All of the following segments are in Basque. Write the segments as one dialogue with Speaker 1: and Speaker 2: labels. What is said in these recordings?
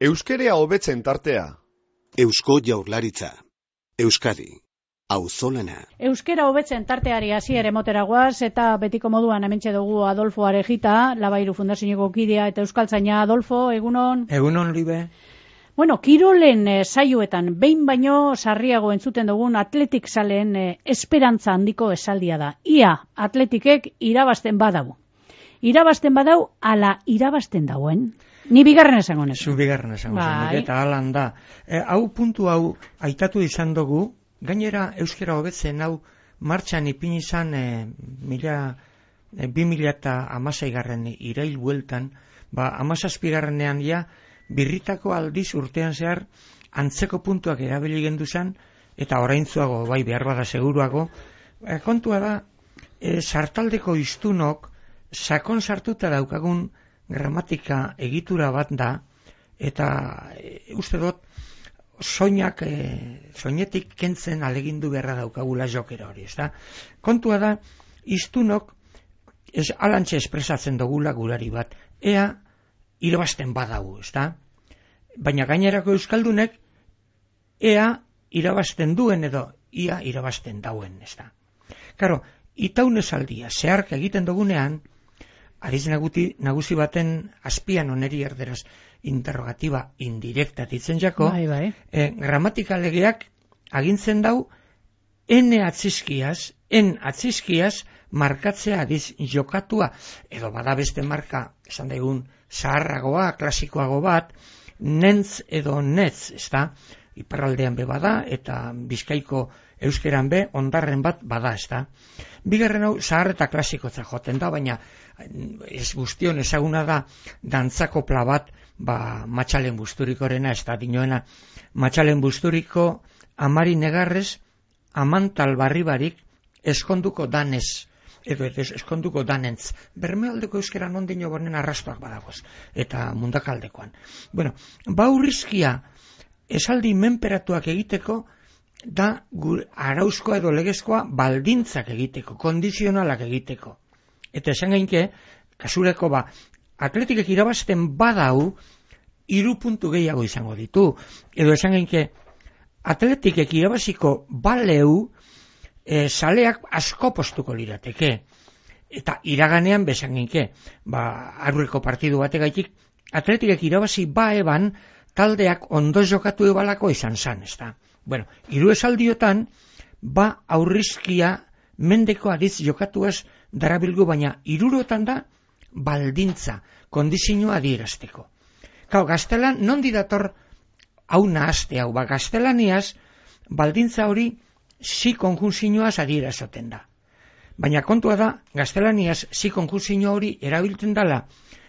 Speaker 1: Euskerea hobetzen tartea.
Speaker 2: Eusko Jaurlaritza. Euskadi. Auzolana.
Speaker 3: Euskera hobetzen tarteari hasiera emotera goaz, eta betiko moduan hementxe dugu Adolfo Arejita, Labairu Fundazioko kidea eta euskaltzaina. Adolfo, egunon?
Speaker 4: Egunon, Libe.
Speaker 3: Bueno, kirolen saioetan behin baino sarriago entzuten dugun atletik zaleen esperantza handiko esaldia da. Ia atletikek irabazten badau. Irabazten badau, ala irabazten dauen. Ni bigarren esango nezu.
Speaker 4: Zu bigarren esango nezu, eta alan da. Puntu hau aitatu izan dugu, gainera euskera hobetzen hau martxan ipini izan 2016 irail bueltan, 17garrenean ja birritako aldiz urtean zehar antzeko puntuak erabili gendu zen, eta oraintzuago, bai behar bada seguruago, kontua da, sartaldeko hiztunok sakon sartuta daukagun gramatika egitura bat da, eta uste dut soinetik kentzen alegindu beharra daukagula jokera hori, ezta? Kontua da, hiztunok alantxe espresatzen dugula gurari bat, ea irabazten badagu, ezta? Baina gainerako euskaldunek ea irabazten duen edo ia irabazten dauen, ezta? Karo, itaun esaldia zeharka egiten dugunean, ariz nagusi baten azpian oneri erderaz interrogatiba indirekta ditzen jako, gramatika legeak agintzen dau en atzizkiaz markatzea adiz jokatua, edo bada beste marka, esan daigun, zaharragoa, klasikoago bat, nentz edo netz, ezta, iparraldean be bada, eta Bizkaiko euskeran be, ondarren bat bada, ezta. Bigarren hau, zahar eta klasikotza joten da, baina ez guztion ezaguna da dantzakopla bat, Matxalen Busturikorena, ez da dinoena, Matxalen Busturiko amari negarrez, amantal barribarik, eskonduko danez, edo eskonduko danentz. Bermealdeko euskeran ondino bonen arrastoak badagoz, eta mundakaldekoan. Bueno, baurrizkia esaldi menperatuak egiteko, da arauzkoa edo legezkoa baldintzak egiteko, kondizionalak egiteko. Eta esan gainke, kasureko atletikek irabazten badau, 3 puntu gehiago izango ditu. Edo esan gainke, atletikek irabaziko baleu, saleak asko postuko lirateke. Eta iraganean besan gainke, aurreko partidu bategaitik, atletikek irabazi eban, taldeak ondo jokatu ebalako izan zan, ezta. Bueno, 3 esaldiotan, aurrizkia mendeko adiz jokatuaz darabilgu, baina 3 da baldintza, kondizioa adierazteko. Kau, gaztelan, nondi dator hau nahazte hau, gaztelaniaz, baldintza hori zi konjunzioaz adierazoten da. Baina kontua da, gaztelaniaz zi konjunzio hori erabiltzen dela,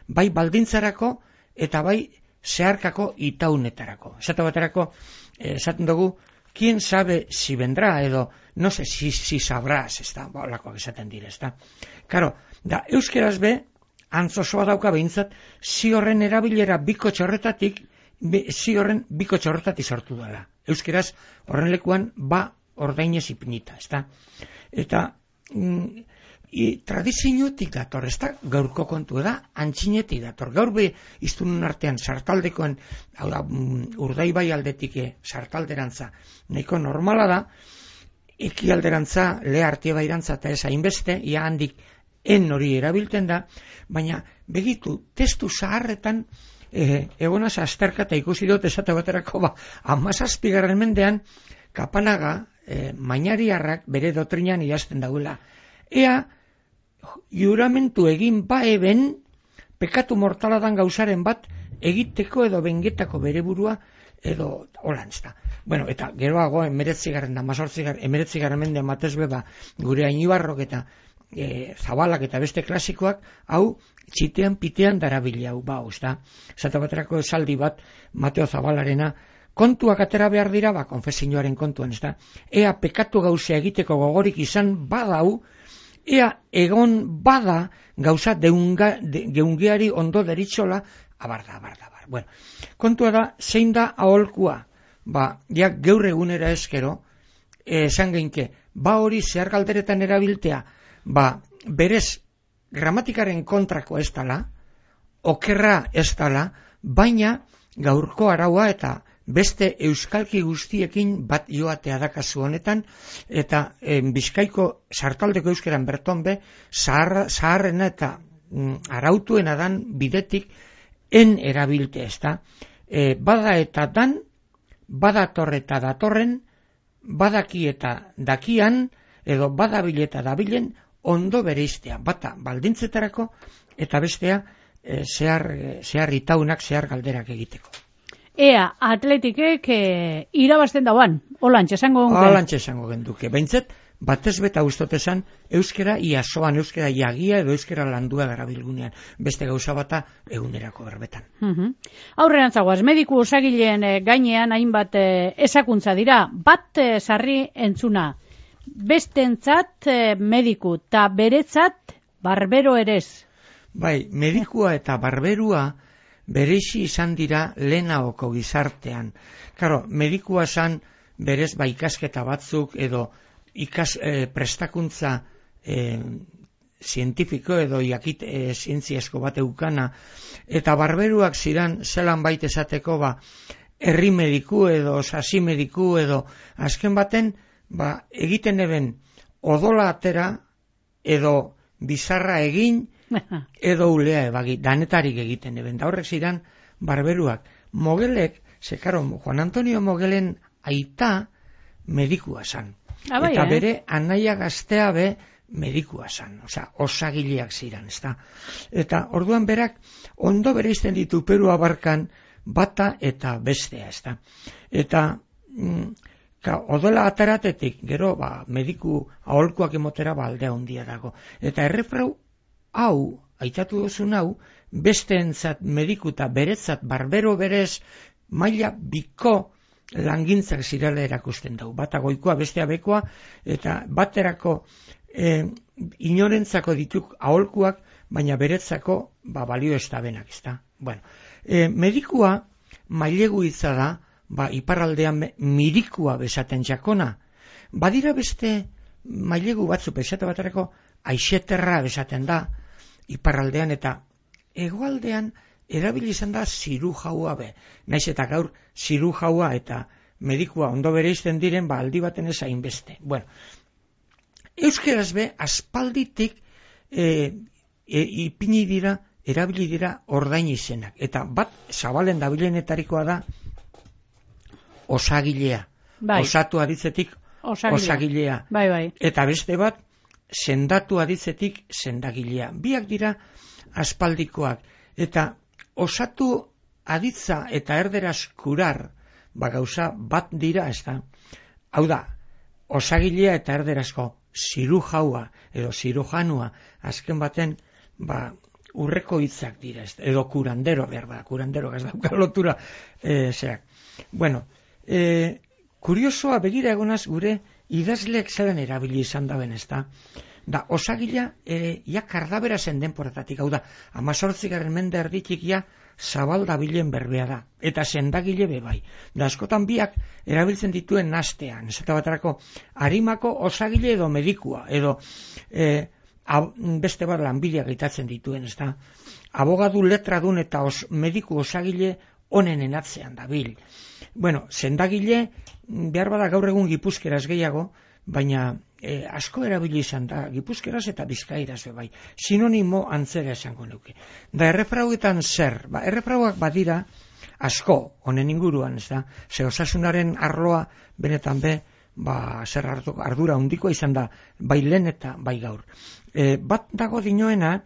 Speaker 4: bai baldintzarako eta bai zeharkako itaunetarako. Esate baterako, esaten dugu, ¿quién sabe si vendrá? Edo, no sé si sabrás, ez da, olakoak esaten dire, ez da. Karo, da, euskeraz be, antzosoa dauka behintzat, zi horren erabilera biko txorretatik sortu dela. Euskeraz, horren lekuan, ordainez ipinita, ez da. Eta, tradiziotik dator, ez da, gaurko kontu da, antxinetik dator. Gaur be, iztunun artean, sartaldekoen, hau da, Urdaibai aldetik sartalderantza, nahiko normala da, ekialderantza, Lehartie bairantza eta ez hainbeste, ia handik en hori erabilten da, baina begitu, testu zaharretan, egonaz azterkata ikusi dut esate baterako, 17. mendean, Kapanaga, Mainariarrak bere dotrinan idazten dagoela. Ea, juramentu egin eben, pekatu mortaladan gauzaren bat, egiteko edo bengetako bere burua, edo holantzta. Bueno, eta geroago, 19. mendean batez beba, gure Ainibarrok eta Zabalak eta beste klasikoak, hau, txitean pitean darabili hau, usta. Zata baterako esaldi bat, Mateo Zabalarena, kontuak atera behar dira, konfesioaren kontuan, ez da. Ea pekatu gauzea egiteko gogorik izan badau, ea egon bada gauza geungeari ondo deritzola, abar. Bueno, kontua da, zein da aholkua? Ja geure egunera eskero, esan geinke, hori zehar galderetan erabiltea, berez gramatikaren kontrako ez dala, okerra ez dala, baina gaurko araua eta beste euskalki guztiekin bat joatea da kasu honetan, eta Bizkaiko sartaldeko euskeran berton be, zaharrena eta arautuena dan bidetik en erabilte, ez da. Bada eta dan, badator eta datorren, badaki eta dakian, edo badabil eta dabilen, ondo bereiztea, bata baldintzetarako, eta bestea zehar itaunak, zehar galderak egiteko.
Speaker 3: Ea, atletikek irabazten dauan, holantxe esango genduke.
Speaker 4: Holantxe esango genduke, behintzet, batez beta ustotesan, euskera iasoan, euskera jagia edo euskera landua darabilgunean, beste gauza bata egunerako berbetan.
Speaker 3: Aurrerantzagoaz, mediku osagileen gainean hainbat esakuntza dira, bat sarri entzuna, bestentzat mediku eta beretzat barbero erez.
Speaker 4: Bai, medikua eta barberua berezi izan dira lehenaoko gizartean. Claro, medikua zan berez ikasketa batzuk edo prestakuntza zientifiko edo zientziasko bat eukana, eta barberuak ziren zelan baita esateko herri mediku edo sasi mediku edo azken baten egiten eben odola atera edo bizarra egin edo ulea ebagi, danetarik egiten eben. Da horrek ziren barberuak. Mogelek, Juan Antonio Mogelen aita medikua zan. Eta bere anaia gaztea be medikua zan, osagileak ziren, ezta. Eta orduan berak ondo bereizten ditu Peru abarkan bata eta bestea, ezta. Eta odola ataratetik, gero mediku aholkuak emotera aldea handia dago. Eta errefrau hau, aitatu duzun hau, besteentzat mediku eta beretzat barbero berez maila biko langintzak zirela erakusten dugu. Bata goikoa, bestea bekoa, eta baterako inorentzako dituk aholkuak, baina beretzako balio ez da benak, ezta. Bueno, medikua mailegu hitza da, iparraldean mirikua besaten jakona. Badira beste mailegu batzu besate baterako aixeterra besaten da, iparraldean, eta hegoaldean erabili izan da zirujaua be. Naiz eta gaur zirujaua eta medikua ondo bereizten diren, aldi baten ez hainbeste. Bueno, euskeraz be, aspalditik ipini dira, erabili dira ordain izenak. Eta bat, zabalen dabilenetarikoa da osagilea. Osatu aditzetik osagilea. Eta beste bat, sendatu aditzetik sendagilea. Biak dira aspaldikoak. Eta osatu aditza eta erderaz kurar, gauza bat dira, ez da. Hau da, osagilea eta erderazko zirujaua edo zirujanua, azken baten, urreko hitzak dira, edo kurandero, behar da, kurandero gaz dauka lotura, zerak. Bueno, kuriosoa begira egonaz gure idazleek zelan erabili izan daben, ez da. Da, osagila, kardabera zen denporatatik, hau da, 18. mende erditik zabalda bilen berbea da, eta sendagile bebai. Da, askotan biak erabiltzen dituen nastean, ez eta baterako, harimako osagile edo medikua, edo beste bat lanbidea gaitatzen dituen, ez da. Abogadu letradun eta mediku osagile onenen atzean da bil. Bueno, sendagile, behar bada gaur egun gipuzkeraz gehiago, baina asko erabili izan da, gipuzkeraz eta bizkairaz bai. Sinonimo antzera esango neuke. Da, errefrauetan zer? Errefrauak badira asko, honen inguruan, ez da, ze osasunaren arloa benetan be, zer ardura handikoa izan da, bai lehen eta bai gaur. Bat dago dinoena,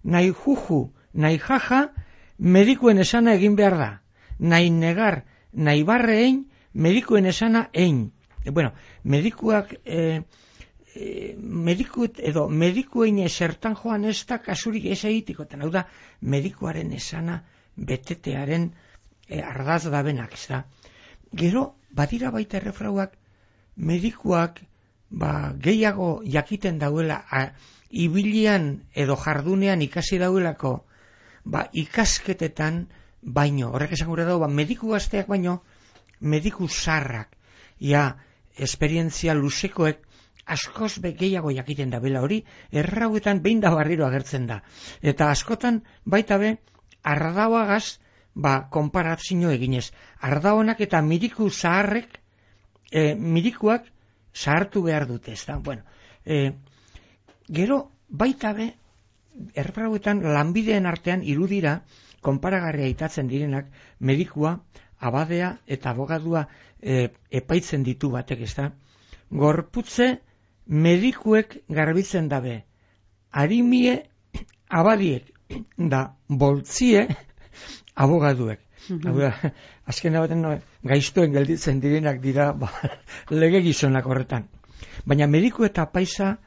Speaker 4: nahi juju, nahi jaja, medikuen esana egin behar da. Nahi negar, nahi barre ein, medikuen esana ein. Bueno, medikuak, medikuen esertan joan ez da kasurik ez egitikoten. Hau da, medikuaren esana betetearen ardaz da benak, ez da. Gero, badira baita errefrauak, medikuak gehiago jakiten dauela, ibilian edo jardunean ikasi dauelako, ikasketetan baino, horrek esan gure dago, mediku gazteak baino, mediku zarrak, esperientzia luzekoek askoz gehiago jakiten da bela hori, errauetan behin da barriro agertzen da. Eta askotan baita be, ardauagaz konparazio eginez. Ardaonak eta miriku zaharrek, mirikuak zahartu behar dute, ez da? Bueno, gero, baita be, errauetan lanbideen artean irudira, konparagarria itatzen direnak, medikua, abadea eta abogadua epaitzen ditu batek, ez da? Gorputze medikuek garbitzen dabe, harimie abadiek, da boltzie abogaduek. Azken baten gaiztoen gelditzen direnak dira lege gizonak horretan. Baina mediku eta apaisa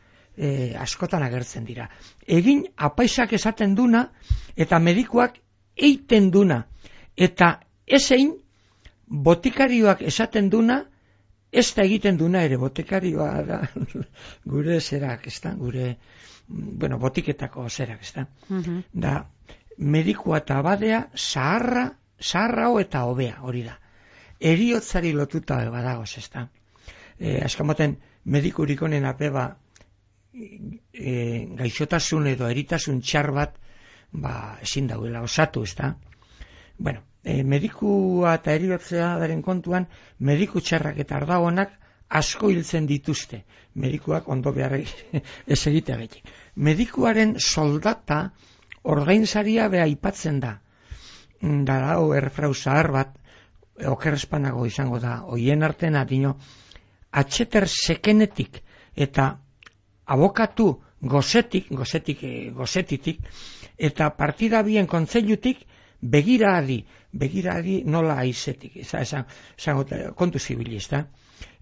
Speaker 4: askotan agertzen dira. Egin apaisak esaten duna eta medikuak eiten duna. Eta ezein botikarioak esaten duna, ez da egiten duna ere, botikarioa da gure zerak, ez da, gure, botiketako zerak, ez da. Da, medikua eta abadea zaharrao eta hobea, hori da. Heriotzari lotuta badagoz, ez da. Azkamaten, medikurik honen apeba gaixotasun edo eritasun txar bat, ezin dauela osatu, ez da. Bueno, medikua eta heriotzea daren kontuan, mediku txarrak eta ardagonak asko hiltzen dituzte. Medikuak ondo behar ez egitea beti. Medikuaren soldata ordainsaria beha aipatzen da. Da dago erfrau zahar bat, okerrespanago izango da, hoien artena dino, atxeter sekenetik eta abokatu gozetitik, eta partida bien kontzeilutik begiradi nola aizetik, kontu zibili, ez da?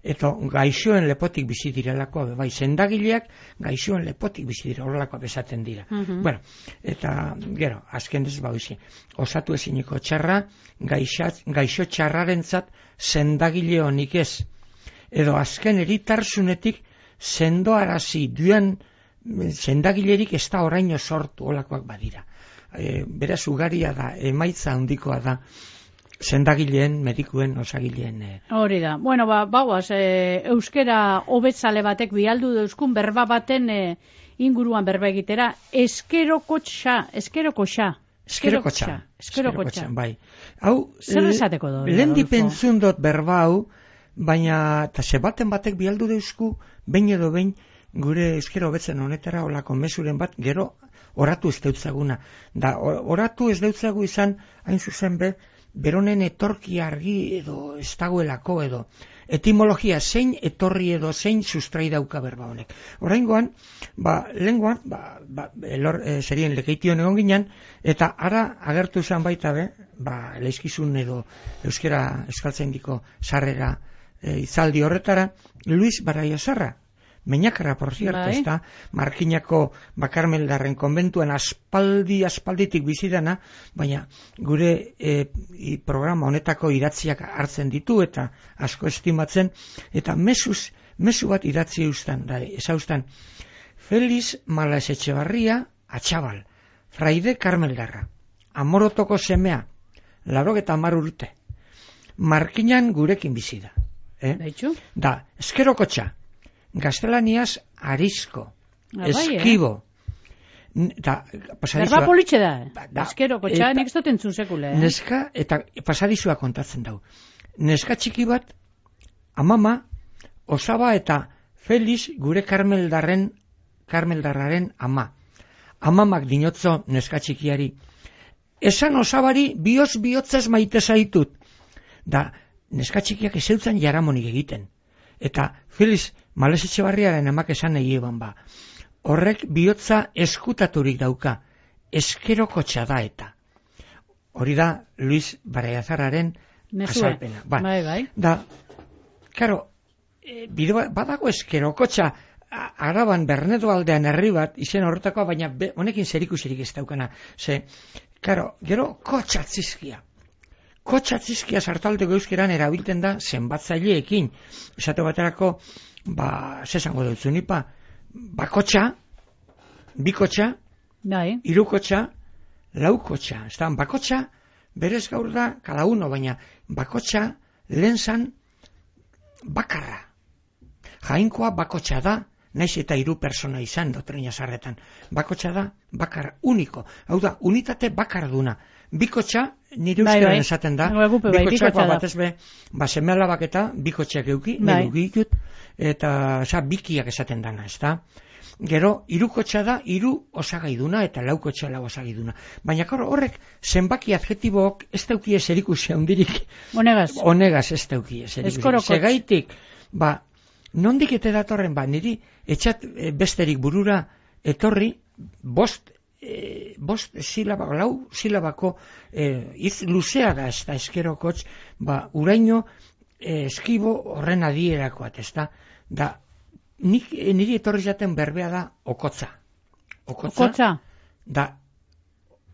Speaker 4: Eta gaixoen lepotik bizi direlako, bai, sendagileak gaixoen lepotik bizi dira, horrelako besaten dira. Bueno, eta gero, azken ez bauzi, osatu eziniko txarra, gaixo txarrarentzat sendagile honik ez. Edo azken eritarsunetik sendoarazi duen sendagilerik ez da oraino sortu, olakoak badira. Beraz ugaria da, emaitza handikoa da, sendagileen, medikuen, osagileen.
Speaker 3: Hori da. Bueno, bauaz, euskera hobetzale batek bialdu deuskun berba baten inguruan berba egitera, eskerokotxa.
Speaker 4: Bai. Hau,
Speaker 3: zer esateko do?
Speaker 4: Lehendi pentsun dut berba hau, baina baten batek bialdu deusku, behin edo behin, gure euskera hobetzen honetara olako mesuren bat, gero oratu ez deutzaguna. Da, oratu ez deutzagu izan, hain zuzen beronen etorki argi edo ez dagoelako edo. Etimologia zein etorri edo zein sustrai dauka berba honek. Oraingoan, lehengoan, zerien lekeition egon ginen, eta ara agertu izan baita leizkizun edo euskaltzaindiko sarrera izaldi horretara, Luis Baraiozarra. Meñakarra, por cierto, ez da, Markinako Bakarmeldarren konbentuan aspalditik bizidana, baina gure programa honetako idatziak hartzen ditu eta asko estimatzen, eta mezu bat idatzi eustan, Feliz Malas Etxebarria Atxabal, Fraide Karmeldarra, Amorotoko semea, 80 urte, Markinan gurekin bizida. Da, eskerokotxa, gaztelaniaz arizko, eskibo.
Speaker 3: Berba politxe da, eskerokotxa, nik ez dut entzun sekule.
Speaker 4: Neska, eta pasadizua kontatzen dau. Neska txiki bat, amama, osaba eta Feliz gure Karmeldarraren ama. Amamak dinotzo neska txikiari. Esan osabari bihotzez maite zaitut. Da, neska txikiak ezeutzen jaramonik egiten. Eta Feliz Malas Etxebarriaren amak esan egieban horrek bihotza eskutaturik dauka, eskerokotxa da eta. Hori da Luis Baraiozarraren azalpena.
Speaker 3: Bai.
Speaker 4: Da, karo, badago eskerokotxa Araban Bernedo aldean herri bat, izen horretakoa, baina honekin zerikusirik ez daukana. Karo, gero kotxatzizkia. Kotxatzizkia sartaldeko euskeran erabiltzen da zenbatzaileekin. Esate baterako, zesango dutzu nipa, bakotxa, bikotxa, irukotxa, laukotxa. Bakotxa, berez gaur da, kada uno, baina bakotxa lehen zan bakarra. Jainkoa bakotxa da, naiz eta 3 persona izan doktrina sarretan. Bakotxa da, bakar uniko. Hau da, unitate bakarduna. Bikotxa, nire euskeran esaten da, bikotxak batez be, seme alabak eta bikotxak euki, ditut, eta bikiak esaten dana, ez da? Gero, 3 da, 3 osagaiduna eta 4 lau osagaiduna. Baina horrek, zenbaki adjetibok ez dauki eserikusi handirik. Honegaz ez dauki eserikusi. Segaitik, nondik ete datorren, niri etxat besterik burura etorri, 5 silabako, 4 silabako hitz luzea da, ez da, eskerokotx, uraino eskibo horren adierakoat, ez da, niri etorri zaten berbea da okotza. Okotza? Da,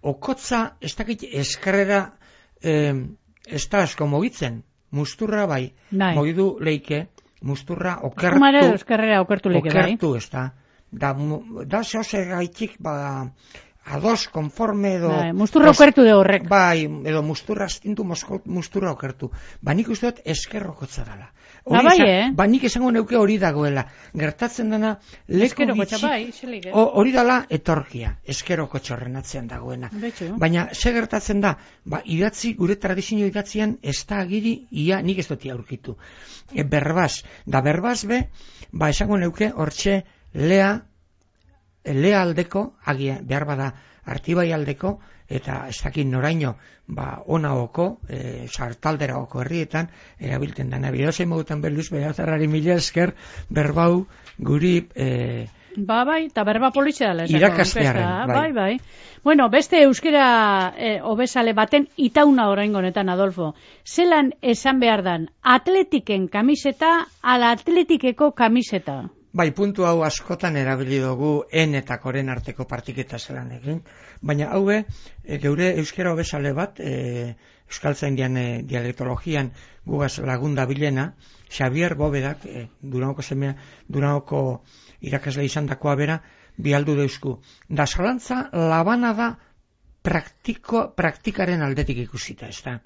Speaker 4: okotza, ez dakit eskerrera ez da asko mogitzen, musturra bai, mogidu leike, musturra okertu.
Speaker 3: Kumare eskerrera okertu leike bai.
Speaker 4: Okertu, ez da. Da zehose gaitik, ados, konforme edo...
Speaker 3: musturra okertu de horrek.
Speaker 4: Bai, edo musturra astintu, musturra okertu. Nik uste dut eskerrokotza dela. Nik esango neuke hori dagoela. Gertatzen dena, leku bitxi... Hori dela etorkia, eskerokotxa horren atzean dagoena. Baina, ze gertatzen da, idatzi, gure tradizio idatzian, ez da agiri, nik ez dut aurkitu. Berbaz, da berbaz be, esango neuke, hortxe, lea aldeko, behar bada artibai aldeko, eta ez dakit noraino, ona oko, sartaldera oko herrietan, erabilten dana. Bidozein mogutan berluz, Berazarrari mila esker, berbau, guri...
Speaker 3: Bai, eta berba polizia
Speaker 4: irakastearen,
Speaker 3: bai. Bueno, beste euskera obesale baten itauna oraingo honetan, Adolfo. Zelan esan behar dan, atletiken kamiseta, ala atletikeko kamiseta?
Speaker 4: Bai, puntu hau askotan erabili dugu eta koren arteko partiketa zelan egin, baina haue, geure euskera obesale bat, euskaltzaindian dialektologian gugaz lagunda bilena, Xavier Bobedak, Duranoko irakasle izan dakoa bera, bialdu deusku. Da zalantza labana da praktikaren aldetik ikusita, ez da.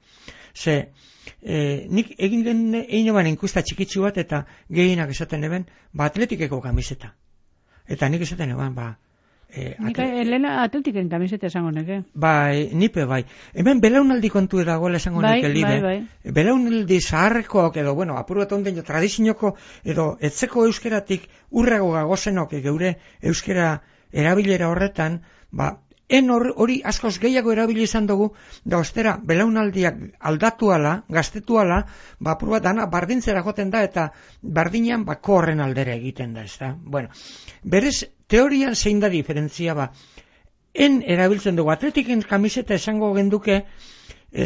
Speaker 4: Nik egin den egin eban enkusta txikitsu bat eta gehienak esaten eben, atletikeko kamiseta. Eta nik esaten eban,
Speaker 3: nik Elena atletiken kamiseta esango neke.
Speaker 4: Nipe bai. Hemen belaunaldi kontu edagoela esango neke libe.
Speaker 3: Bai.
Speaker 4: Belaunaldi zaharrekoak edo, apur bat onden tradizioko edo etzeko euskeratik urrago gagozenok geure euskera erabilera horretan, hori askoz gehiago erabili izan dugu, da ostera, belaunaldiak aldatu ala, gaztetu ala, apur bat dana bardintzera joten da, eta bardinean korren aldera egiten da, ez da. Bueno, berez, teorian zein da diferentzia erabiltzen dugu, atletiken kamiseta esango genduke,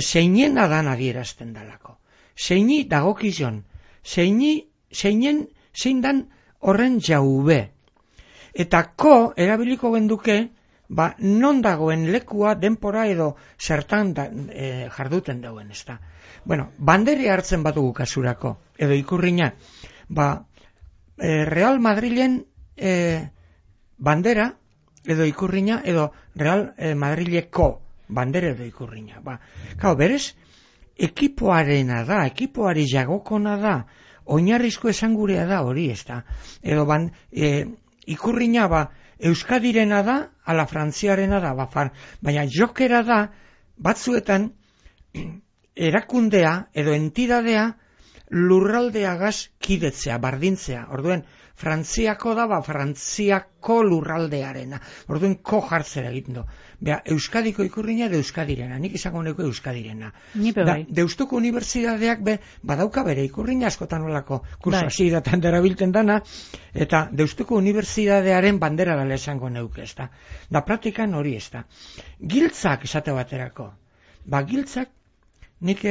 Speaker 4: zeinen adan adierazten dalako. Zeini dagokizon, zein dan horren jaube. Eta erabiliko genduke, non dagoen lekua, denpora edo zertan jarduten dauen, ez da. Bueno, bandere hartzen batugu kasurako, edo ikurriña, Real Madrilen bandera, edo ikurriña, edo Real Madrileko bandera edo ikurriña. Berez, ekipoarena da, ekipoari jagokona da, oinarrizko esangurea da hori, ez da. Edo ikurriña, Euskadirena da, ala frantziarena da, baina jokera da, batzuetan, erakundea edo entidadea lurraldeagaz kidetzea, bardintzea. Orduen, Frantziako da, Frantziako lurraldearena. Orduen, jartzera egiten du. Euskadiko ikurriña edo Euskadirena. Nik izango neko Euskadirena.
Speaker 3: Nipe bai.
Speaker 4: Deustuko unibertsitateak badauka bere ikurriña askotan olako kurso hasieratan derabilten dana, eta Deustuko unibertsitatearen bandera dela esango neuke, ez da. Da praktikan hori, ez da. Giltzak esate baterako. Giltzak nik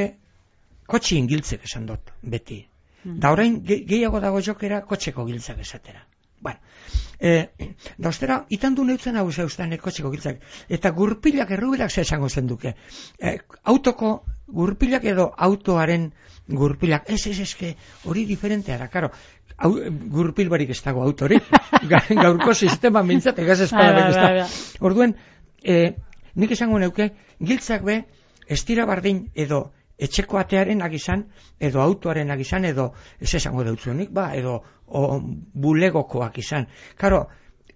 Speaker 4: kotxien giltzek esan dut, beti. Da orain gehiago dago jokera kotxeko giltzak esatera. Bueno, da ostera, itandu neutzen hau zeuztan kotxeko giltzak. Eta gurpilak errubilak ze esango zen duke. Autoko gurpilak edo autoaren gurpilak. Ez, hori diferentea da, karo. Gurpil barik ez dago autorik. Gaurko sistema mintzat, egaz espadabek ez da. Orduen, nik esango neuke, giltzak ez dira bardin edo etxeko atearenak izan, edo autoarenak izan, edo ez esango deutzunik, edo bulegokoak izan. Karo,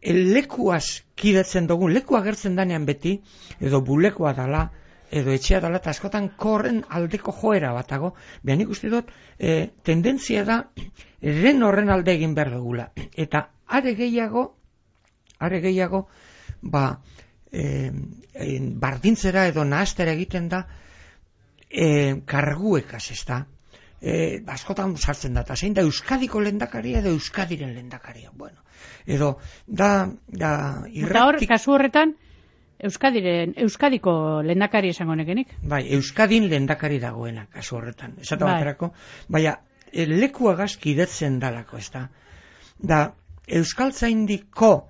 Speaker 4: lekuaz kidetzen dugun, leku agertzen danean beti, edo bulegoa dala, edo etxea dala, eta askotan korren aldeko joera batago, behan ikusti dut, tendentzia da, horren alde egin behar dugula. Eta are gehiago, bardintzera edo nahastera egiten da, karguekaz, ez da. Askotan sartzen da, eta zein da Euskadiko lehendakaria edo Euskadiren lehendakaria. Bueno, edo da
Speaker 3: Eta hor, kasu horretan, Euskadiko lehendakari esango nekenik?
Speaker 4: Bai, Euskadin lehendakari dagoena, kasu horretan. Esatu baterako, baina lekuagaz kidetzen dalako, ez da. Da, Euskaltzaindiko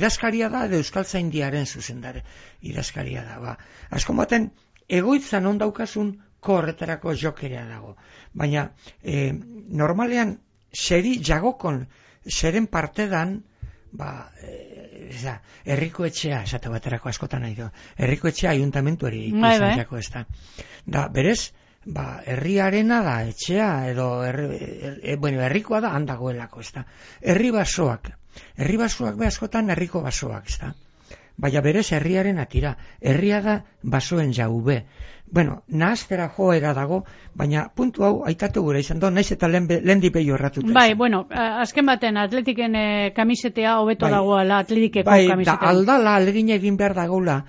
Speaker 4: idazkaria da, edo Euskaltzaindiaren zuzendare idazkaria da. Asko baten, egoitzan ondaukasun horretarako jokerea dago. Baina, normalean, seri jagokon, seren partedan, herriko etxea, esate baterako askotan nahi du, herriko etxea ayuntamentuari izantzako ez da. Da, berez, herriarena da etxea, edo, herrikoa da handagoelako ez da. Herri basoak be askotan herriko basoak ez da. Baina berez herriaren atira, herria da basoen jaube. Bueno, nahaztera joera dago, baina puntu hau aitatu gure izan do, naiz eta lehen dipei horratuta.
Speaker 3: Bai, bueno, azken baten atletiken kamisetea hobeto dagoela atletikeko kamisetea.
Speaker 4: Da aldala alegina egin behar dagoela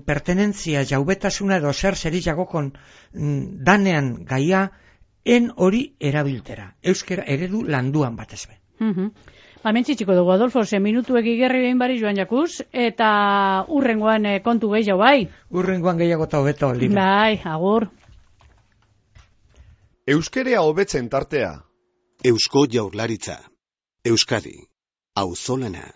Speaker 4: pertenentzia jaubetasuna edo zeri jagokon danean gaia en hori erabiltera. Euskera eredu landuan batez be.
Speaker 3: Mentzitxiko dugu, Adolfo, 10 minutuek igerri behin bari joan jakuz, eta urrengoan kontu gehiago, bai?
Speaker 4: Urrengoan gehiago eta hobeto, Lina.
Speaker 3: Bai, agur.
Speaker 1: Euskerea hobetzen tartea.
Speaker 2: Eusko Jaurlaritza. Euskadi. Auzolana.